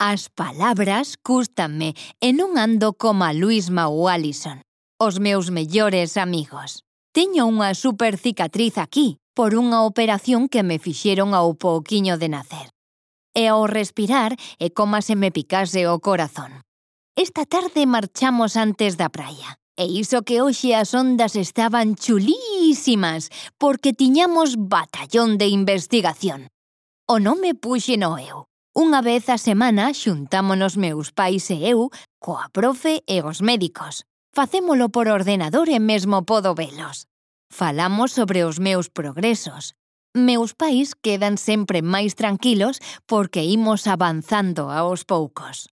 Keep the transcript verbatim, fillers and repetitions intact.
As palabras cústanme e non ando como a Luisma ou Alison, os meus mellores amigos. Teño unha super cicatriz aquí por unha operación que me fixeron ao pouquiño de nacer. E ao respirar é como se me picase o corazón. Esta tarde marchamos antes da praia. E iso que hoxe as ondas estaban chulísimas porque tiñamos batallón de investigación. O nome puxeno eu. Unha vez a semana xuntámonos meus pais e eu coa profe e os médicos. Facémolo por ordenador e mesmo podo velos. Falamos sobre os meus progresos. Meus pais quedan sempre máis tranquilos porque imos avanzando aos poucos.